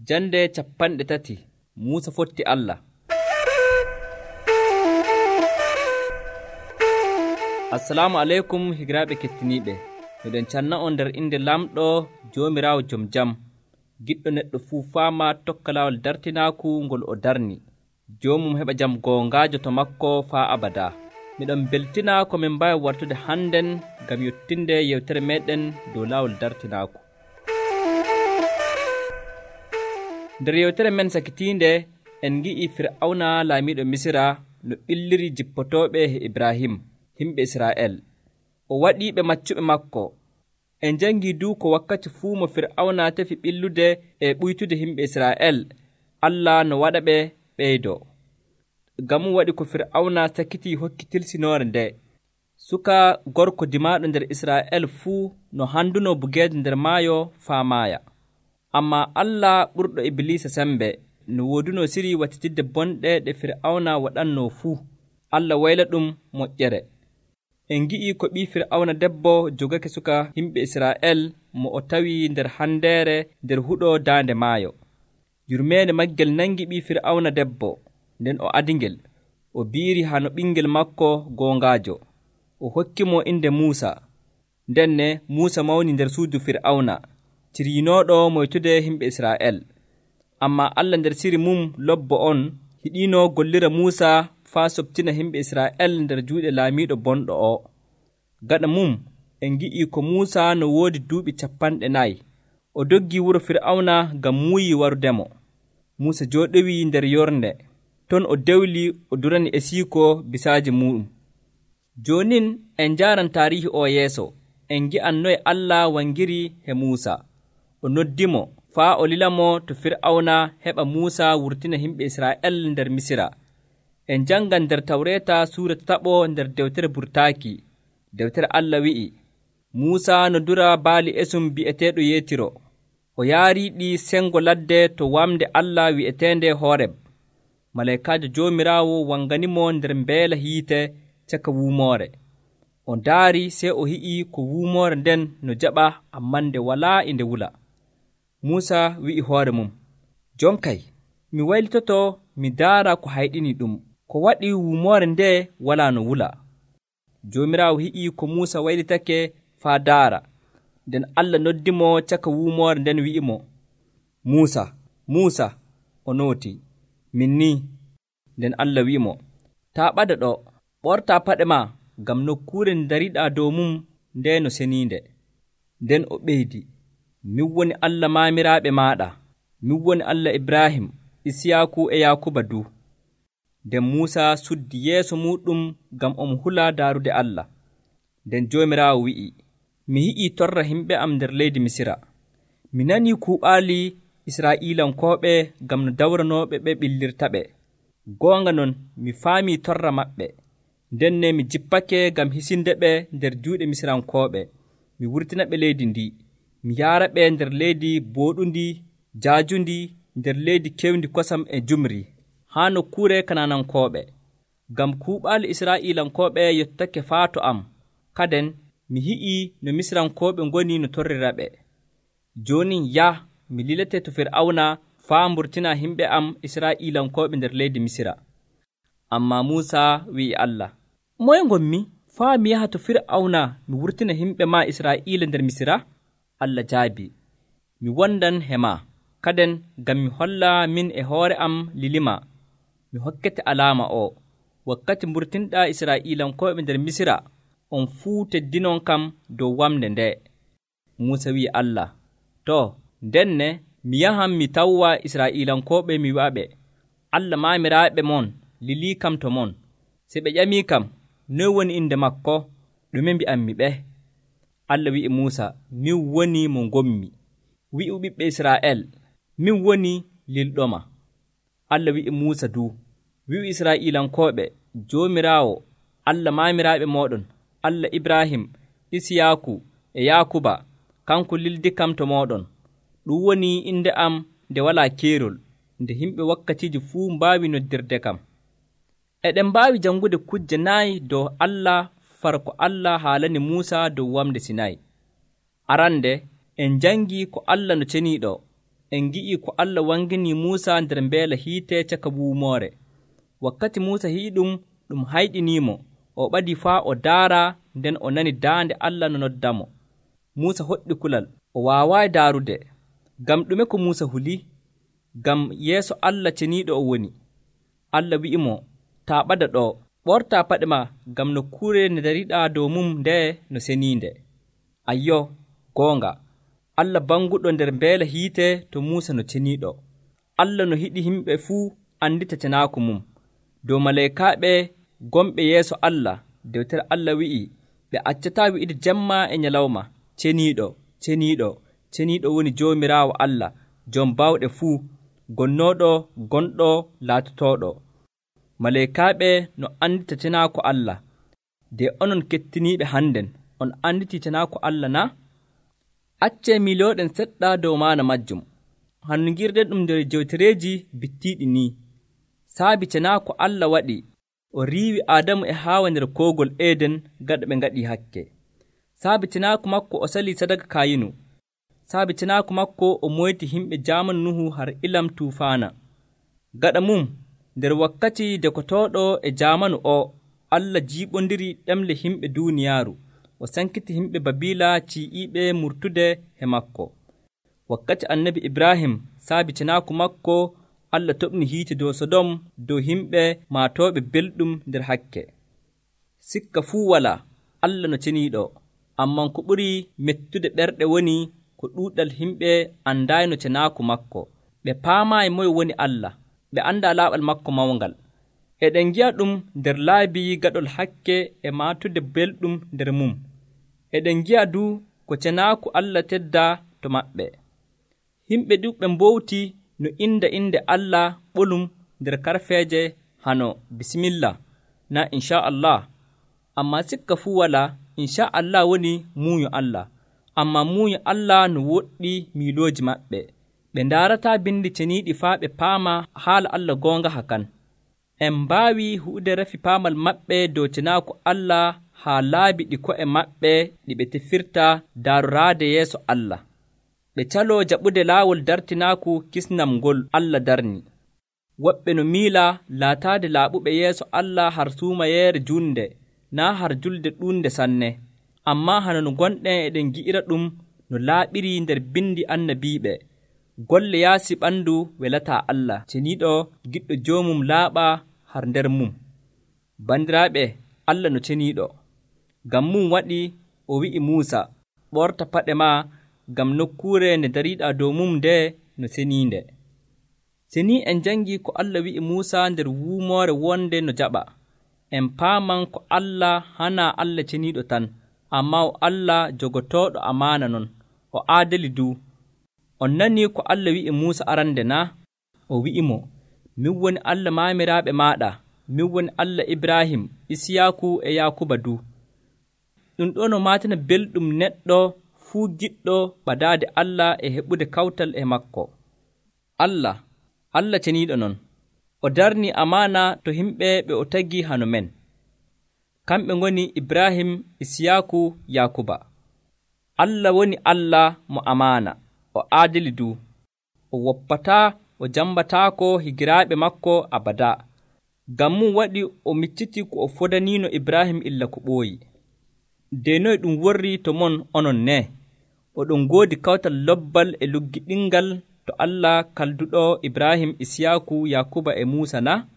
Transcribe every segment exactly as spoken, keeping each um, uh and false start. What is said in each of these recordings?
Jande capanɗe tati Muusa fotti Allah. Assalamu aleykum higiraaɓe kettiniiɓe. Miɗen canna on nder inde lamɗo Joomiraawo jom jam, giɗɗo neɗɗo fuu faama tokka laawol dartinaaku ngol o darni. Joomum heɓa jam goongaajo to makko faa abadaa. Miɗon beltina ko min mbaawi wartude hannden ngam yottinde yewtere meeɗen dow laawol dartinaaku. Nder yewtere men sakitiinde en ngi'i Fir'awna laamiiɗo Misira no ɓilliri jippotooɓe he Ibrahim, himɓe Israa'el. O waɗiiɓe maccuɓe makko. En janngii du ko wakkati fuu mo Fir'awna tefi ɓillude e ɓuytude himɓe Israa'el, Allah no waɗaɓe ɓeydoo. Ngam waɗi ko Fir'awna sakitii hokki tilsinoore nde. Suka gorko dimaaɗo nder Israa'el fuu no handuno bugeeje nder maayo faa maaya. Ammaa Allah ɓurɗo Ibliisa sembe no wooduno siri wattitidde bonɗe ɗe Fir'awna waɗannoo fuu. Allah wayla ɗum moƴƴere. En ngi'ii ko ɓii Fir'awna debbo jogake suka himɓe Israa'el mo o tawi nder handeere nder huɗo daande maayo. Yurmeende maggel nangi ɓii Fir'awna debbo, nden o adingel. O biiri haa no ɓingel makko goongaajo. O hokki mo inde Muusa. Ndenne Muusa mawni nder suudu Fir'awna, ciriinooɗo moytude himɓe Israa'el. Ammaa Allah nder siri mum lobbo on hiɗiino gollira Muusa faa soɓtina himɓe Israa'el nder juuɗe laamiiɗo bonɗo o. Gaɗa mum en ngi'ii ko Muusa no woodi duuɓi capanɗe nayi. O doggii wuro Fir'awna ngam muuyi warudemo. Muusa jooɗowii nder yornde. Ton o dewli o durani esiiko bisaaji muɗum. Joonin en njaaran taariihi o yeeso. En ngi'an noye Allah wangiri he Muusa. O noddimo faa o lilamo to Fir'awna heɓa Muusa wurtina himɓe Israa'el nder Misira. En janngan nder Tawreeta suura taɓo nder dewtere burtaaki. Dewtere Allah wi'i, Muusa no dura baali esum bi'eteeɗo Yeetiro. O yaariiɗi sengo ladde to wamde Allah wi'eteende Hooreb. Malaykaajo Joomiraawo wanganimo nder mbeela hiite caka wuumoore. O ndaari sey o hi'ii ko wuumoore nden no jaɓa ammaa nde walaa e nde wula. Muusa wi'i hoore mum, jonkay, mi waylitoto mi daara ko hayɗini ɗum. Ko waɗi wuumoore nde walaa no wula? Joomiraawo hi'ii ko Muusa waylitake faa daara. Nden Allah noddimo caka wuumoore nden wi'imo, Muusa, Muusa. O nootii, min ni. Nden Allah wi'imo, taa ɓada ɗo, ɓortaa paɗe maa, ngam nokkuure nde dariɗaa dow mum nde no seniinde. Nden o ɓeydi, min woni Allah maamiraaɓe maaɗa, min woni Allah Ibrahim, Isiyaaku e Yaakuba du. Nden Muusa suddi yeeso muuɗum ngam omo hula daarude Allah. Nden Joomiraawo wi'i, mi yi'ii torra himɓe am nder leydi Misira. Mi nanii kuuɓaali Israa'iilankooɓe ngam no dawranooɓe ɓe ɓillirtaɓe. Goonga non mi faamii torra maɓɓe. Ndenne mi jippake ngam hisinde ɓe nder juuɗe Misirankooɓe. Mi wurtina ɓe leydi ndi. Mi yaara ɓe nder leydi booɗundi, jaajundi, nder leydi kewndi kosam e jumri, haa nokkuure Kanaanankooɓe. Ngam kuuɓaali Israa'iilankooɓe yottake faa to am, kaden mi hi'ii no Misirankooɓe ngoni no torrira ɓe. Joonin yah, mi lilete to Fir'awna faa mburtina himɓe am Israa'iilankooɓe nder leydi Misira. Ammaa Muusa wi'i Allah, moye ngonmi faa mi yaha to Fir'awna mi wurtina himɓe maa Israa'iila nder Misira? Allah jaabi, mi wondan he maa, kaden ngam mi holla min e hoore am lilima, mi hokkete alaama o. Wakkati mburtinɗaa Israa'iilankooɓe nder Misira, on fuu teddinon kam dow wamde nde. Muusa wi'i Allah, too, ndenne mi yahan mi tawwa Israa'iilankooɓe mi wi'aɓe, Allah maamiraaɓe mon lilii kam to mon. Se ɓe ƴamii kam, noy woni inde makko? Ɗume mbi'ammi ɓe? Allah wi'i Muusa, min woni mo ngommi. Wi'u ɓiɓɓe Israa'el, min woni lilɗoma. Allah wi'i Muusa du, wi'u Israa'iilankooɓe, Joomiraawo, Allah maamiraaɓe mooɗon, Allah Ibrahim, Isiyaaku e Yaakuba, kanko lildi kam to mooɗon. Ɗum woni inde am nde walaa keerol, nde himɓe wakkatiiji fuu mbaawi noddirde kam. Eɗen mbaawi janngude kujje nayi dow Allah far ko Allah haalani Muusa dow wamde Sinayi. Arande, en janngii ko Allah no ceniiɗo. en ngi'i ko Allah wangini Muusa nder mbeela hiite caka wuumoore. Wakkati Muusa hi'i ɗum, ɗum hayɗiniimo, o ɓadii faa o daara, nden o nani daande Allah no noddamo. Muusa hoɗɗi kulal, o waawaayi daarude. Ngam ɗume ko Muusa huli? Ngam yeeso Allah ceniiɗo o woni. Allah wi'imo, taa ɓada ɗo, ɓortaa paɗe maa, ngam nokkuure nde dariɗaa dow mum nde no seniinde. Ayyo, goonga, Allah banguɗo nder mbeela hiite to Muusa no ceniiɗo. Allah no hiɗi yimɓe fuu andita cenaaku mum. Dow maleykaaɓe gomɓe yeeso Allah, dewtere Allah wi'i, ɓe accataa wi'ide jemma e nyalawma, ceniiɗo, ceniiɗo, ceniiɗo woni Joomiraawo Allah, Joom bawɗe fuu, gonnooɗo, gonɗo, laatotooɗo. Maleykaaɓe no andita cenaaku Allah. De onon kettiniiɓe hannden, on anditii cenaaku Allah na? Accee milooɗen seɗɗa dow maana majjum. Hannungirɗen ɗum nder jewtereeji bittiiɗi ni. Saabi cenaaku Allah waɗi, o riiwi Aadamu e Haawa nder koogol Eeden gaɗa ɓe ngaɗii hakke. Saabi cenaaku makko o salii sadaka Kayinu. Saabi cenaaku makko o moyti himɓe jaamanu Nuhu har ilam tuufaana. Gaɗa mum, nder wakkati dekotooɗo e jaamanu o, Allah jiiɓondiri ɗemle himɓe duuniyaaru, o sankiti himɓe Babiila cii'iiɓe murtude he makko. Wakkati annabi Ibrahim, saabi cenaaku makko, Allah toɓni hiite dow Sodom dow himɓe maatooɓe belɗum nder hakke. Sikka fuu walaa, Allah no ceniiɗo, amman ko ɓuri mettude ɓerɗe woni ko ɗuuɗal himɓe andaayno cenaaku makko. Ɓe paamaayi moye woni Allah, ɓe anndaa laaɓal makko mawngal. Eɗen ngi'a ɗum nder laabi gaɗol hakke e maatude belɗum nder mum. Eɗen ngi'a du ko cenaaku Allah teddaa to maɓɓe. Himɓe ɗuuɓɓe mbowti no inda inde Allah ɓolum nder karfeeje hano bisimillah na inchallah. Amma sikka fuu walaa, inchallah woni muuyo Allah. Amma muuyo Allah no woɗɗi miilooji maɓɓe. Ɓe ndaarataa bindi ceniiɗi faa ɓe paama haala Allah goonga hakan. En mbaawi huude rafi paamal maɓɓe dow cenaaku Allah haa laabi ɗi ko'e maɓɓe ɗi ɓe tefirta daaroraade yeeso Allah. Ɓe caloo jaɓude laawol dartinaaku kisnam ngol Allah darni. Woɓɓe no miila laataade laaɓuɓe yeeso Allah har suumayeere juunde, naa har julde ɗuunde sanne. Ammaa hano no gonɗen eɗen gi'ira ɗum no laaɓiri nder bindi annabiiɓe. Golle yaasi ɓandu welataa Allah, ceniiɗo giɗɗo joomum laaɓa har nder mum. Bandiraaɓe, Allah no ceniiɗo. Ngam mum waɗi o wi'i Muusa, ɓorta paɗe maa, ngam nokkuure nde dariiɗaa dow mum nde no seniinde. Seni en jangi ko Allah wi'i Muusa nder wuumoore wonde no jaɓa, en paaman ko Allah hana Allah ceniiɗo tan, ammaa o Allah jogotooɗo amaana non, o aadali du. On nanii ko Allah wi'i Muusa arande na? O wi'imo, min woni Allah maamiraaɓe maaɗa, min woni Allah Ibrahim, Isiyaaku e Yaakuba du. Ɗum ɗo no maatina belɗum neɗɗo fuu giɗɗo ɓadaade Allah e heɓude kawtal e makko. Allah, Allah ceniiɗo non, o darni amaana to himɓe ɓe o tagi hano men. Kamɓe ngoni Ibrahim, Isiyaaku, Yaakuba. Allah woni Allah mo amaana, o aadili du, o woppataa, o jambataako higiraaɓe makko abada. Ngam mum waɗi o micciti ko o fodaniino Ibrahim illa ko ɓooyi. De noye ɗum worri to mon onon ne? Oɗon ngoodi kawtal lobbal e luggiɗingal to Allah kalduɗo Ibrahim, Isiyaaku, Yaakuba e Muusa na?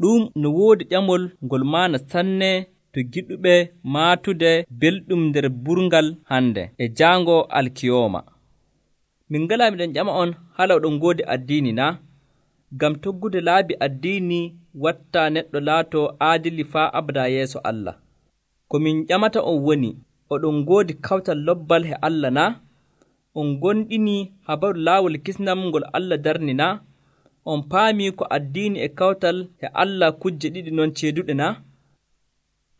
Ɗum no woodi ƴamol ngol maana sanne to giɗuɓe maatude belɗum nder burgal hande e jaango alkiyooma. Min ngalaa miɗen ƴama on hala oɗon ngoodi addiini na? Ngam toggude laabi addiini wattaa neɗɗo laato aadili faa abada yeeso Allah. Ko min ƴamata on woni, oɗon ngoodi kawtal lobbal he Allah na? On gonɗini habaru laawol kisnam ngol Allah darni na? On paami ko addiini e kawtal he Allah kujje ɗiɗi non ceeduɗe na?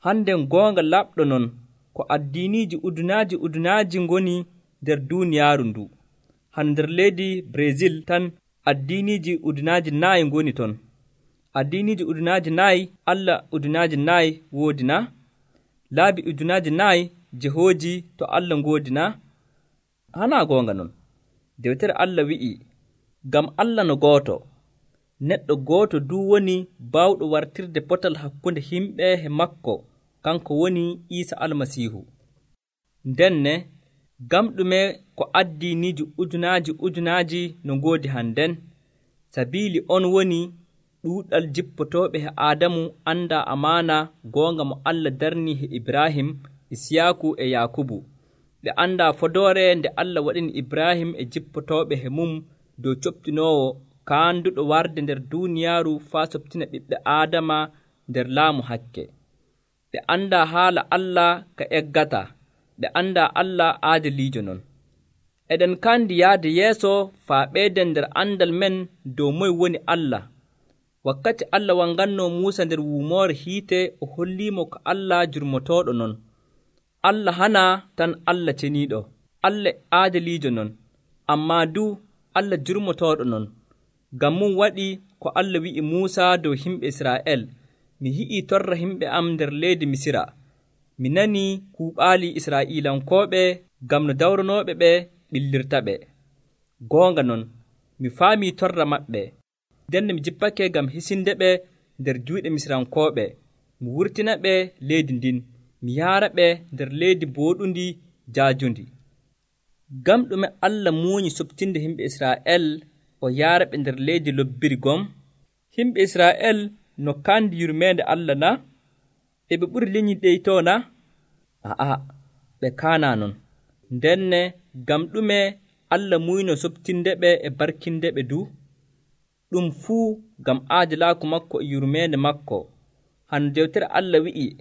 Hannden goonga laɓɗo non ko addiiniiji udunaaji udunaaji ngoni nder duuniyaaru ndu. Han nder leydi Brésil tan addiiniiji udunaaji naayi ngoni ton. Addiiniiji udunaaji naayi Allah udunaaji naayi woodi na? Laabi udunaaji naayi jehooji to Allah ngoodi na? Hanaa goonga non. Dewtere Allah wi'i, ngam Allah no gooto, neɗɗo gooto duu woni baawɗo wartirde potal hakkunde himɓe e makko, kanko woni Iisa Almasiihu. Ndenne, ngam ɗume ko addiiniiji ujunaaji ujunaaji no ngoodi hannden, sabiili on woni ɗuuɗal jippotooɓe he Aadamu anndaa amaana goonga mo Allah darnii he Ibrahim, Isiyaaku e Yaakubu. Ɓe anndaa fodoore nde Allah waɗini Ibrahim e jippotooɓe he mum dow coɓtinoowo kaanduɗo warde nder duuniyaaru faa soɓtina ɓiɓɓe Aadama nder laamu hakke. Ɓe anndaa haala Allah ka eggata, ɓe anndaa Allah aadiliijo non. Eɗen kandi yahde yeeso faa ɓeyden nder andal men dow moye woni Allah. Wakkati Allah wangannoo Muusa nder wuumoore hiite o holliimo ko Allah jurmotooɗo non. Allah hanaa tan Allah ceniiɗo, Allah aadiliijo non, ammaa duu Allah jurmotooɗo non. Ngam mum waɗi ko Allah wi'i Muusa dow himɓe Israa'el, mi hi'ii torra himɓe am nder leydi Misira. Mi nanii kuuɓaali Israa'iilankooɓe ngam no dawranooɓe ɓe ɓillirta ɓe. Goonga non, mi faamii torra maɓɓe, ndenne mi jippake ngam hisinde ɓe nder juuɗe Misirankooɓe, mi wurtina ɓe leydi ndin, mi yaara ɓe nder leydi booɗundi jaajundi. Ngam ɗume Allah muuñi soɓtinde himɓe Israa'el o yaara ɓe nder leydi lobbiri gom? Himɓe Israa'el no kandi yurmeende Allah na? E ɓe ɓuri leñi ɗeytoo na? A'a, ɓe kaanaa non. Ndenne ngam ɗume Allah muyno soɓtinde ɓe e barkinde ɓe du? Ɗum fuu ngam aadilaaku makko e yurmeende makko. Hano dewtere Allah wi'i,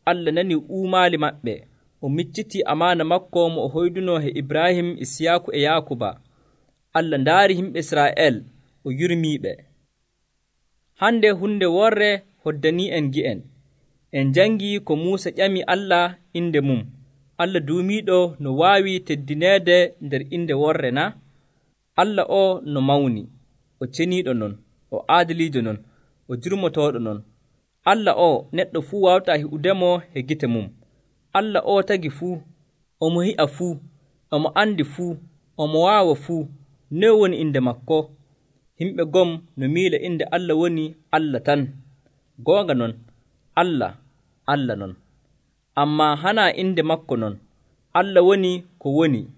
Allah nanii uumaali maɓɓe, o miccitii amaana makko mo o hoydunoo he Ibrahim, Isiyaaku e Yaakuba. Allah ndaari himɓe Israa'el, o yurmiiɓe. Hande hunde worre hoddanii en gi'en. En njangii ko Muusa ƴami Allah inde mum. Allah duumiiɗo no waawi teddineede nder inde worre na? Allah o no mawni, o ceniiɗo non, o aadiliijo non, o jurmotooɗo non. Allah o neɗɗo fuu waawtaa hi'udemo he gite mum. Allah o tagi fuu, omo hi'a fuu, omo andi fuu, omo waawa fuu. Noye woni inde makko? Himɓe gom no miila inde Allah woni Allah tan. Goonga non, Allah, Allah non. Ammaa hanaa inde makko non. Allah woni ko woni.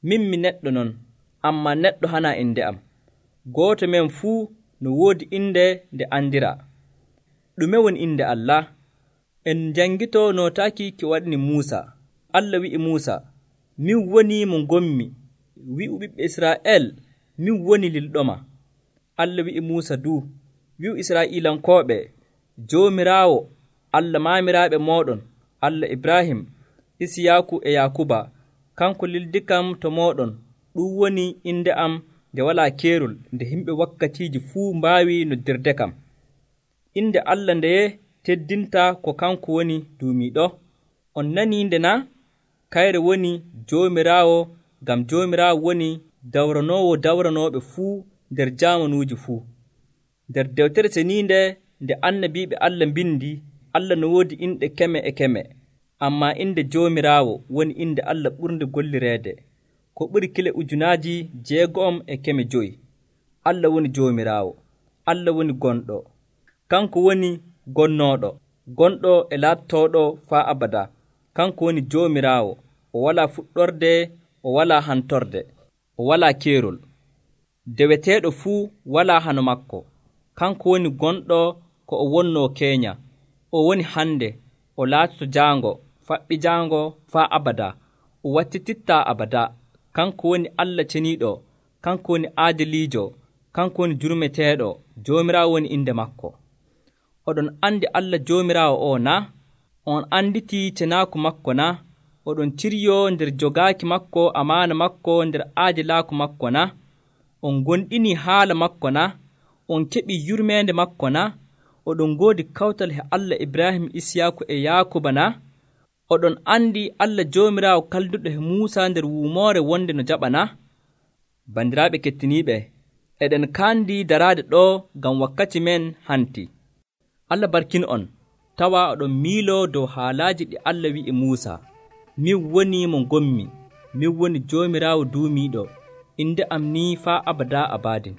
Min mi neɗɗo non, ammaa neɗɗo hanaa inde am. Gooto men fuu no woodi inde nde andiraa. Ɗume woni inde Allah? En njangitoo nootaaki ki waɗini Muusa. Allah wi'i Muusa, min woni mo ngommi, wi'u ɓiɓɓe Israa'el, min woni lilɗoma. Allah wi'i Muusa duu, wi'u Israa'iilankooɓe, Joomiraawo, Allah maamiraaɓe mooɗon, Allah Ibrahim, Isiyaaku e Yaakuba, kanko lildikam to mooɗon. Ɗum woni inde am nde walaa keerol, nde himɓe wakkatiiji fuu mbaawi noddirde kam. Inde Allah ndeye teddinta ko kanko woni duumiiɗo. On nanii nde na? Kayre woni Joomiraawo, ngam Joomiraawo woni dawranoowo dawranooɓe fuu nder jaamanuuji fuu. Nder dewtere seniinde nde annabiiɓe Allah mbindi, Allah no woodi inɗe keme e keme, ammaa inde Joomiraawo woni inde Allah ɓurnde gollireede, ko ɓuri kile ujunaaji jeego'om e keme joyi. Allah woni Joomiraawo, Allah woni gonɗo, kanko woni gonnooɗo, gonɗo e laattooɗo faa abada. Kanko woni Joomiraawo, o walaa fuɗɗorde, o walaa hantorde, o walaa keerol. Deweteeɗo fuu walaa hano makko. Kanko woni gonɗo ko o wonnoo keenya, o woni hande, o laatoto jaango, faɓɓi jaango faa abada, o wattitittaa abada. Kanko woni Allah ceniiɗo, kanko woni aadiliijo, kanko woni jurmeteeɗo. Joomiraawo woni inde makko. Oɗon andi Allah Joomiraawo o na? On anditii cenaaku makko na? Oɗon ciryoo nder jogaaki makko amaana makko nder aadilaaku makko na? On gonɗinii haala makko na? On keɓii yurmeende makko na? Oɗon ngoodi kawtal he Allah Ibrahim, Isiyaaku e Yaakuba na? Oɗon andi Allah Joomiraawo kalduɗo he Muusa nder wuumoore wonde no jaɓa na? Bandiraaɓe kettiniiɓe, eɗen kaandi daraade ɗo ngam wakkati men hanti. Allah barkin on, tawa oɗon miiloo dow haalaaji ɗi Allah wi'i Muusa. Min woni mo ngommi, min woni Joomiraawo duumiiɗo, inde am ni faa abada abadin.